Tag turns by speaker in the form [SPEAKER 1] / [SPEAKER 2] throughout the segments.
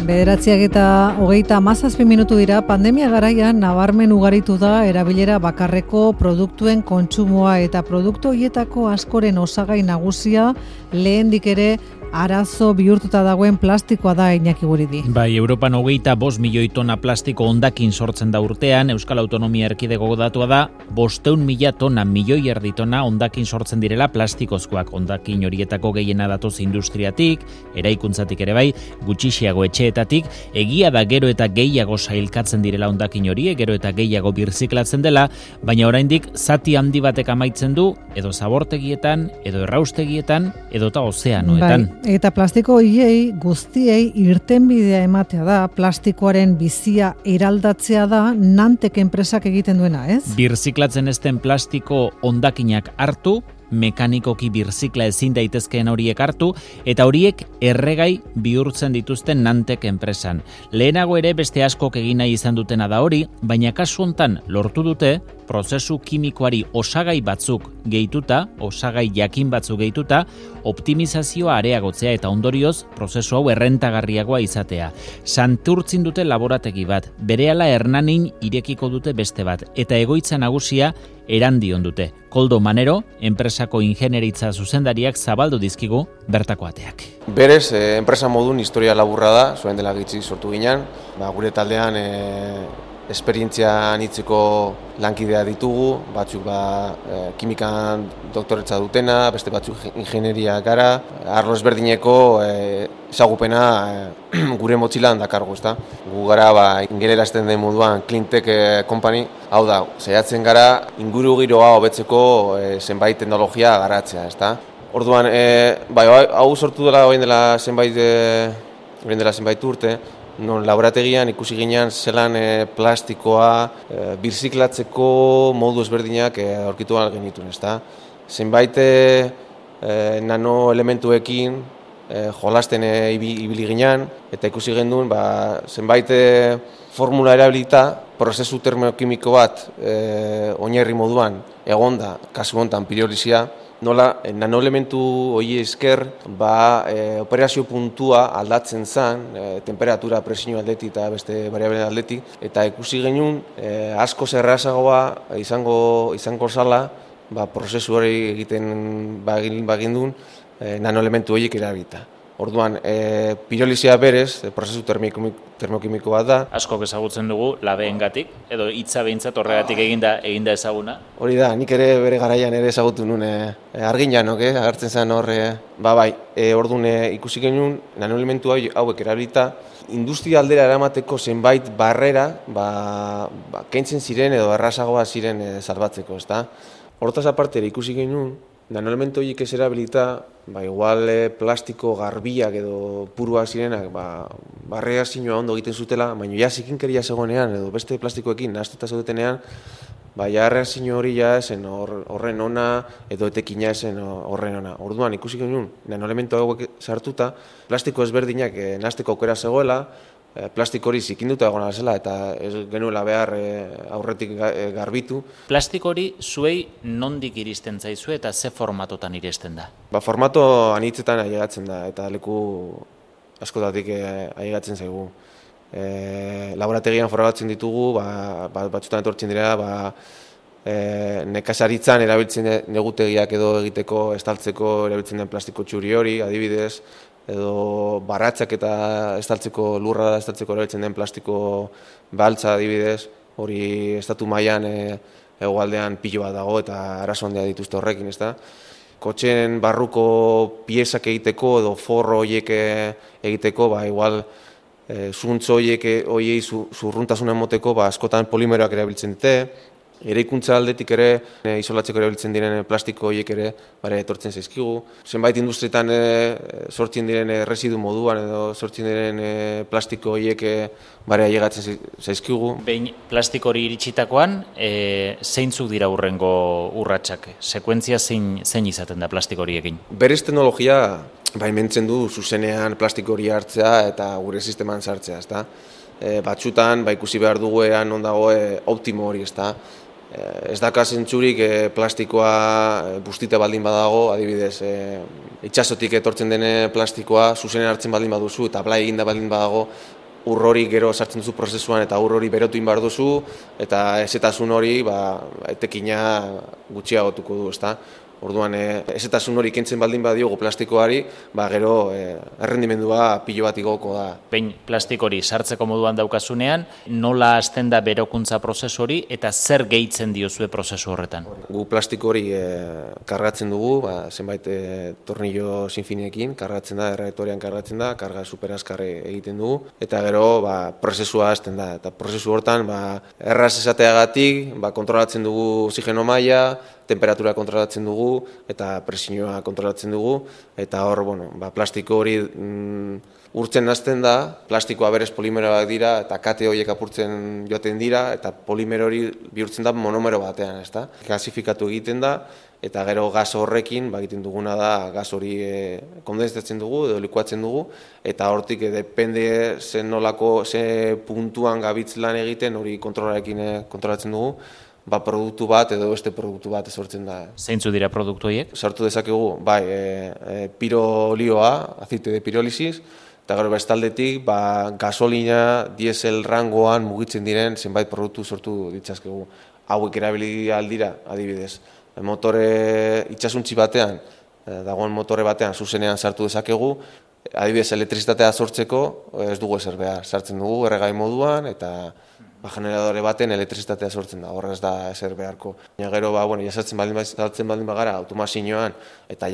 [SPEAKER 1] 9:37 dira, pandemia garaian nabarmen ugaritu da erabilera bakarreko produktuen kontsumoa eta produktu horietako askoren osagai nagusia lehendik ere arazo bihurtuta dagoen plastikoa da, Iñaki Guridi.
[SPEAKER 2] Bai, Europan 25 milioi tona plastiko hondakin sortzen da urtean, Euskal Autonomia Erkidego datua da, 500.000 tona, milioi erdi tona hondakin sortzen direla plastikozkoak. Hondakin horietako gehiena datoz industriatik, eraikuntzatik ere bai, gutxixiago etxeetatik, egia da gero eta gehiago sailkatzen direla hondakin horiek, gero eta gehiago birziklatzen dela, baina oraindik zati handi batek amaitzen du, edo zabortegietan, edo erraustegietan, edota ozeanoetan.
[SPEAKER 1] Bai, eta plastiko hiei guztiei irtenbidea ematea da, plastikoaren bizia eraldatzea da, Nantek enpresak egiten duena, ez?
[SPEAKER 2] Birziklatzen ez den plastiko hondakinak hartu, mekanikoki birzikla ezin daitezkeen horiek hartu, eta horiek erregai bihurtzen dituzten Nantek enpresan. Lehenago ere beste askok egin nahi izan dutena da hori, baina kasu hontan lortu dute, prozesu kimikoari osagai batzuk gehituta, osagai jakin batzuk gehituta, optimizazioa areagotzea eta ondorioz prozesu hau errentagarriagoa izatea. Santurtzin dute laborategi bat, berehala Hernanin irekiko dute beste bat, eta egoitza nagusia Erandion dute. Koldo Manero, enpresako ingenieritza zuzendariak zabaldu dizkigu bertako ateak.
[SPEAKER 3] Berez, enpresa modun historia laburra da, zuen dela gitzi sortu ginen, gure taldean esperientzia anitzeko lankidea ditugu, batzuk kimikan doktoretza dutena, beste batzuk ingenieria gara, arlo ezberdineko ezagupena gure motxilan dakargu, ezta? Gu gara ingelerazten den moduan Cleantech Company, hau da, saiatzen gara inguru giroa hobetzeko zenbait teknologia garatzea, ezta? Orduan, hau sortu dela orain dela zenbait urte, non laborategian ikusi ginean zelan plastikoa birziklatzeko modu ezberdinak aurkitu ahal genituen, ezta? Zenbait nanoelementuekin jolasten ibili ginean, eta ikusi genduen zenbait formula erabilita, prozesu termokimiko bat oinarri moduan egonda, kasu honetan pirolisia, nola nanoelementu hori esker operazio puntua aldatzen zen, temperatura, presio aldetik eta beste variableen aldetik, eta ikusi genuen asko errazagoa izango zala prozesu hori egiten bagindun nanoelementu horiek erabilita. Orduan, pirolizia berez, prozesu termokimiko bat da.
[SPEAKER 2] Askok ezagutzen dugu labeengatik, edo hitza behintzat horregatik eginda ezaguna.
[SPEAKER 3] Hori da, nik ere bere garaian ere ezagutu nuen arginjanok, agertzen zen hor, orduan ikusi genuen nanoelementu hauek erabilita, industria aldera eramateko zenbait barrera, kentzen ziren edo errazagoa ziren salbatzeko, ezta? Hortaz aparte ikusi genuen, nanoelementu horiek ez erabilita, igual plastiko garbiak edo puruak zirenak, barreazioa ondo egiten zutela, baina ja zikinkeria zegoenean edo beste plastikoekin nahaztuta zaudetenean, erreazio hori ja esen horren ona edo etekina esen horren ona. Orduan ikusi genuen nanoelementu hauek sartuta, plastiko ezberdinak nahazteko aukera zegoela, plastiko hori zikinduta egona zela eta ez genuela behar aurretik garbitu.
[SPEAKER 2] Plastiko hori zuei nondik iristen zaizue eta ze formatotan iristen da?
[SPEAKER 3] Formato anitzetan ailegatzen da eta leku askotatik ailegatzen zaigu. Laborategian forratzen ditugu, batzutan etortzen dira, nekazaritzan erabiltzen negutegiak edo egiteko, estaltzeko erabiltzen den plastiko txuri hori, adibidez, edo baratzak eta lurra estaltzeko erabiltzen den plastiko baltza adibidez, hori estatu mailan hegoaldean pilo bat dago eta arazo handia dituzte horrekin, ezta? Kotxeen barruko piezak egiteko edo forro horiek egiteko, igual zuntz horiei zurruntasuna emoteko, askotan polimeroak erabiltzen dute, eraikuntza aldetik ere, isolatzeko erabiltzen diren plastiko horiek ere etortzen zaizkigu. Zenbait industrietan sortzen diren residu moduan edo sortzen diren plastiko horiek ailegatzen zaizkigu.
[SPEAKER 2] Behin plastiko hori iritsitakoan, zeintzuk dira hurrengo urratsak? Sekuentzia zein izaten da plastiko horiekin?
[SPEAKER 3] Berez teknologia baimentzen du zuzenean plastiko hori hartzea eta gure sisteman sartzea, ezta? Batzutan ikusi behar dugu non dago optimo hori, ezta? Ez daka zentzurik plastikoa bustita baldin badago, adibidez, itsasotik etortzen den plastikoa zuzenen hartzen baldin baduzu eta blai eginda baldin badago, ur hori gero sartzen duzu prozesuan eta ur hori berotu egin behar duzu eta ezetasun hori etekina gutxiagotuko du, ezta? Orduan, ezetasun hori kentzen baldin badiogu plastikoari, gero errendimendua pilo bat igoko da.
[SPEAKER 2] Behin plastiko hori sartzeko moduan daukazunean, nola hasten da berokuntza prozesu hori eta zer gehitzen diozue prozesu horretan?
[SPEAKER 3] Gu plastiko hori kargatzen dugu, zenbait tornillo sinfiniekin, kargatzen da, erreaktorean kargatzen da, karga superazkarre egiten dugu, eta gero prozesua hasten da. Eta prozesu hortan, erraz esateagatik, kontrolatzen dugu oxigeno maila, temperatura kontrolatzen dugu eta presioa kontrolatzen dugu eta hor, plastiko hori urtzen hasten da, plastikoa berez polimeroak dira eta kate horiek apurtzen joaten dira eta polimero hori bihurtzen da monomero batean, ezta? Gasifikatu egiten da eta gero gas horrekin egiten duguna da gas hori kondensatzen dugu edo likuatzen dugu eta hortik depende ze puntuan gabitz lan egiten hori kontrolarekin kontrolatzen dugu. Produktu bat edo beste produktu bat sortzen da.
[SPEAKER 2] Zeintzu dira produktu horiek?
[SPEAKER 3] Sartu dezakegu, pirolioa, azite de pirolisis, eta gero bestaldetik, gasolina, diesel rangoan mugitzen diren zenbait produktu sortu ditzazkegu. Hauek erabili aldira, adibidez. Motore itsasuntzi batean, dagoen motore batean zuzenean sartu dezakegu, adibidez elektrizitatea sortzeko ez dugu ezer behar. Sartzen dugu erregai moduan eta generadore baten elektrizitatea sortzen da, horrez da ezer beharko. Gero, sartzen baldin bagara automazioan eta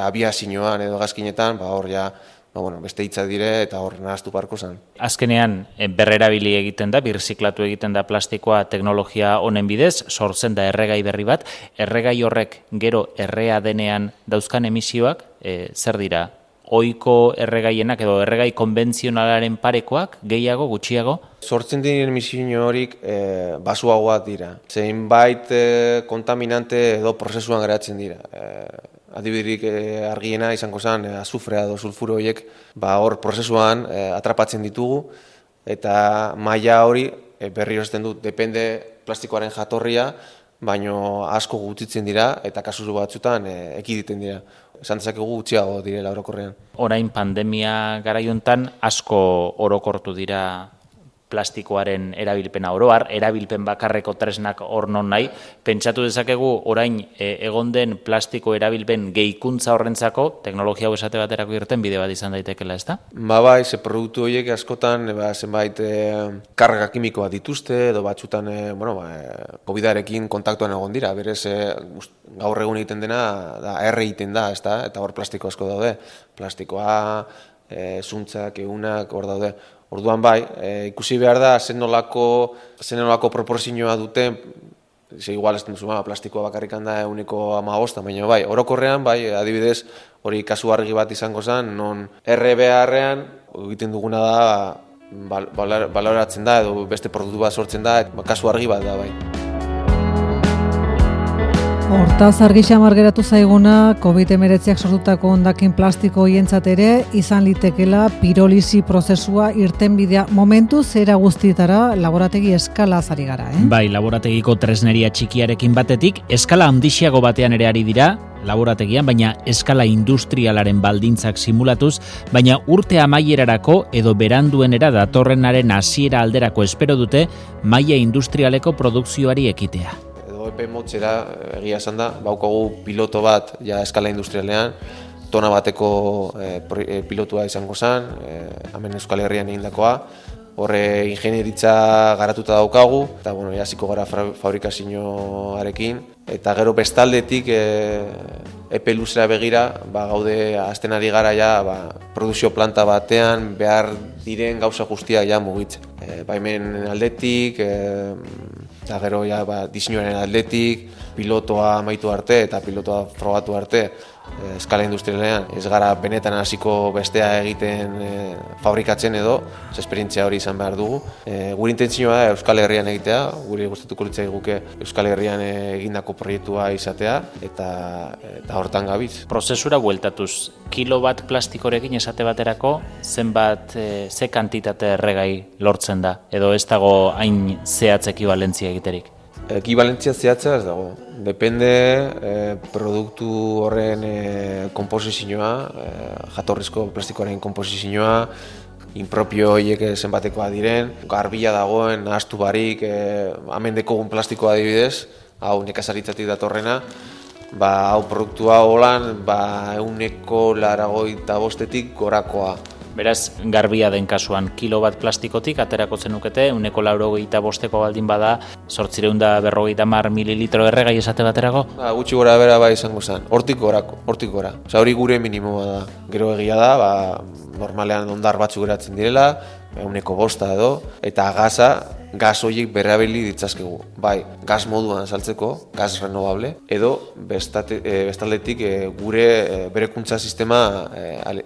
[SPEAKER 3] abiazioan edo gazkinetan, hor beste hitza dire eta hor nahaztu parko zen.
[SPEAKER 2] Azkenean, berrerabili egiten da, birziklatu egiten da plastikoa teknologia honen bidez, sortzen da erregai berri bat, erregai horrek gero errea denean dauzkan emisioak, zer dira? Ohiko erregaienak edo erregai konbentzionalaren parekoak, gehiago, gutxiago?
[SPEAKER 3] Sortzen diren emisio horik basuagoak dira. Zeinbait kontaminante edo prozesuan geratzen dira. Adibiderik argiena izango zen azufrea edo sulfuro horiek hor prozesuan atrapatzen ditugu eta maila hori berri horretzen dut, depende plastikoaren jatorria, baino asko gutxitzen dira eta kasu batzutan ekiditen dira. Esan dezakegu gutxiago direla orokorrean.
[SPEAKER 2] Orain pandemia garaiontan asko orokortu dira plastikoaren erabilpena oroar, erabilpen bakarreko tresnak hor non nahi. Pentsatu dezakegu orain egon den plastiko erabilpen gehikuntza horrentzako, teknologia hau esate baterako irten bide bat izan daitekela, ezta?
[SPEAKER 3] Ze produktu horiek askotan zenbait karga kimikoa dituzte, edo batzutan COVID-arekin kontaktuan egon dira, berez gaur egun egiten dena da erre egiten da, ezta? Eta hor plastiko asko daude, plastikoa, zuntzak, egunak, hor daude. Orduan ikusi behar da zen nolako proporzioa duten, igual ez duzu plastikoa bakarrikan da 1,5, baina orokorrean, adibidez, hori kasu argi bat izango zen, non RBA-arrean egiten duguna da, baloratzen da, edo beste produktu bat sortzen da, kasu argi bat da,
[SPEAKER 1] Hortaz argi xamar geratu zaiguna, COVID-19ak sortutako hondakin plastiko hientzat ere izan litekela pirolisi prozesua irtenbidea momentu zera guztietara laborategi eskala ari gara,
[SPEAKER 2] Laborategiko tresneria txikiarekin batetik, eskala handixiago batean ere ari dira, laborategian, baina eskala industrialaren baldintzak simulatuz, baina urte amaierarako edo beranduenera datorrenaren hasiera alderako espero dute maila industrialeko produkzioari ekitea.
[SPEAKER 3] Epe motzera, egia esan da, baukagu piloto bat eskala industrialean, tona bateko pilotua izango zen, hemen Euskal Herrian egindakoa, horre ingenieritza garatuta daukagu, eta hasiko gara fabrikazioarekin, eta gero bestaldetik epe luzera begira, gaude azten ari gara produzio planta batean behar diren gauza guztiak mugitzen. Hemen aldetik, eta gero diseinuaren aldetik, pilotoa amaitu arte eta pilotoa frogatu arte eskala industrialean ez gara benetan hasiko bestea egiten fabrikatzen edo, esperientzia hori izan behar dugu. Gure intentzioa da Euskal Herrian egitea, gure gustatuko litzaiguke Euskal Herrian egindako proiektua izatea eta hortan gabiz.
[SPEAKER 2] Prozesura bueltatuz, kilo bat plastikorekin esate baterako zenbat ze kantitate erregai lortzen da edo ez dago hain zehatz ekibalentzia egiterik?
[SPEAKER 3] Ekibalentzia zehatza ez dago. Depende produktu horren konposizioa, jatorrizko plastikoaren konposizioa, inpropio horiek zenbatekoa diren, garbila dagoen, ahaztu barik, amendeko plastikoa adibidez, hau nekazaritzatik datorrena, hau produktua holan, 185 gorakoa.
[SPEAKER 2] Beraz, garbia den kasuan, kilo bat plastikotik aterako zenukete, 185 baldin bada, 850 mililitro erregai esate baterako?
[SPEAKER 3] Gutxi gora bera izango zen, hortik gora. Hori gure minimoa da. Gero egia da, normalean ondar batzuk geratzen direla, 105 edo, eta gaz horiek berrabili ditzazkegu. Bai, gaz moduan saltzeko, gaz renovable, edo bestaldetik gure berekuntza sistema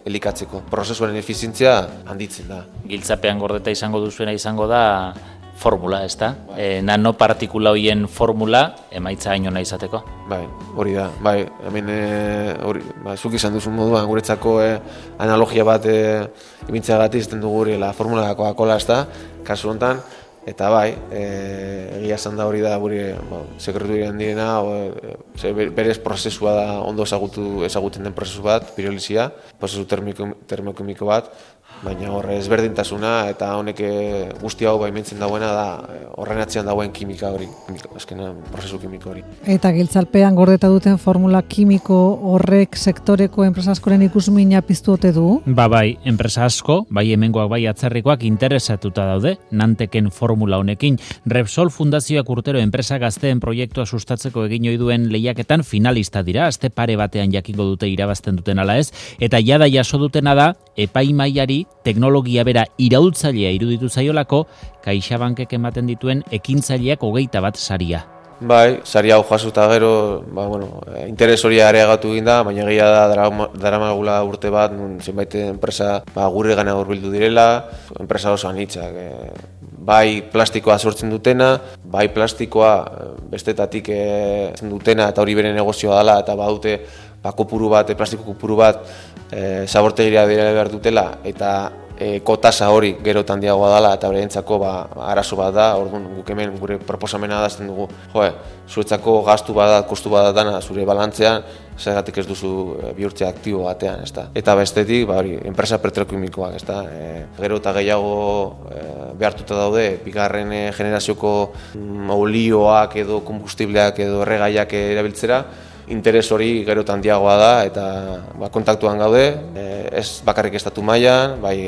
[SPEAKER 3] elikatzeko. Prozesuaren efizientzia handitzen da.
[SPEAKER 2] Giltzapean gordeta izango duzuena izango da formula, ez da? Nanopartikula horien formula emaitza hainona izateko.
[SPEAKER 3] Bai, hori da. Bai, hemen zuk izan duzun moduan guretzako analogia bat ibintzeagatik izten dugu la formula da Coca-Cola, ez da? Kasu honetan, eta bai, egia esan da hori da gure sekretu diren direna, berez prozesua da ondo ezagutzen den prozesu bat, pirolizia, prozesu termokimiko bat, baina horre ezberdintasuna eta honek guzti hau baimentzen dagoena da horren atzean dagoen kimika hori, azkenean prozesu kimiko hori.
[SPEAKER 1] Eta giltzalpean gordeta duten formula kimiko horrek sektoreko enpresa askoren ikusmina piztu ote du?
[SPEAKER 2] Bai, enpresa asko, bai hemengoak bai atzerrikoak interesatuta daude, Nanteken formula honekin. Repsol Fundazioak urtero enpresa gazteen proiektua sustatzeko egin ohi duen lehiaketan finalista dira, aste pare batean jakingo dute irabazten duten ala ez, eta jada jaso dutena da, epaimaiari teknologia bera iraultzailea iruditu zaiolako, CaixaBankek ematen dituen ekintzaileak 21 saria.
[SPEAKER 3] Bai, sari hau jasuta gero, interes hori areagatu egin da, baina egia da daramagula urte bat, zenbait enpresa gure gana hurbildu direla, enpresa oso anitzak. Bai plastikoa sortzen dutena, bai plastikoa bestetatik dutena eta hori bere negozioa dela, eta badute kopuru bat, plastiko kopuru bat zabortegira dira behar dutela, eta kotasa hori gero handiagoa dela eta berentzako arazo bat da. Orduan guk hemen gure proposamena adazten dugu, zuretzako gastu bat, kostu bat dana zure balantzean, zergatik ez duzu bihurtzea aktibo batean, ezta. Eta bestetik, enpresa petrokimikoak, ezta. Gero eta gehiago behartuta daude, bigarren generazioko olioak edo kombustibleak edo erregaiak erabiltzera, interes hori gero eta handiagoa da eta kontaktuan gaude, ez bakarrik estatu mailan, bai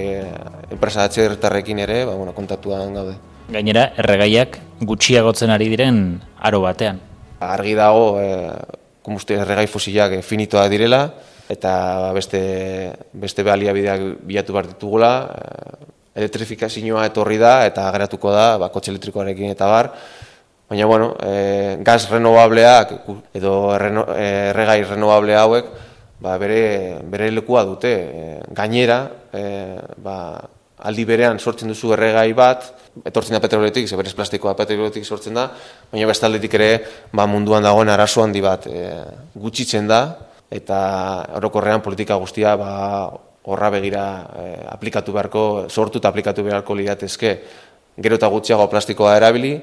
[SPEAKER 3] enpresa atzerritarrekin ere, kontaktuan gaude.
[SPEAKER 2] Gainera, erregaiak gutxiagotzen ari diren aro batean.
[SPEAKER 3] Argi dago, erregai fosilak finitoak direla, eta beste baliabideak bilatu behar ditugula, elektrifikazioa etorri da eta geratuko da, kotxe elektrikoarekin eta bar. Baina, gaz renovableak edo erregai renovable hauek bere lekua dute. Gainera, aldi berean sortzen duzu erregai bat, etortzen da petroletik, berez plastikoa petroletik sortzen da, baina bestaldetik ere munduan dagoen arazo handi bat gutxitzen da, eta orokorrean politika guztia horra begira sortu eta aplikatu beharko liratezke. Gero eta gutxiago plastikoa erabili,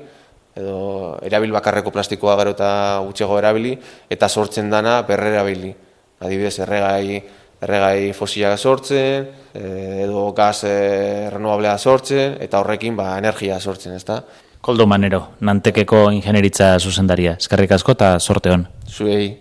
[SPEAKER 3] edo erabil bakarreko plastikoa gero eta gutxiago erabili, eta sortzen dana berrerabili. Adibidez, erregai fosilak sortzen, edo gaz renovablea sortzen, eta horrekin energia sortzen, ezta?
[SPEAKER 2] Koldo Manero, Nantekeko ingenieritza zuzendaria. Eskerrik asko eta sorte on.
[SPEAKER 3] Zuei.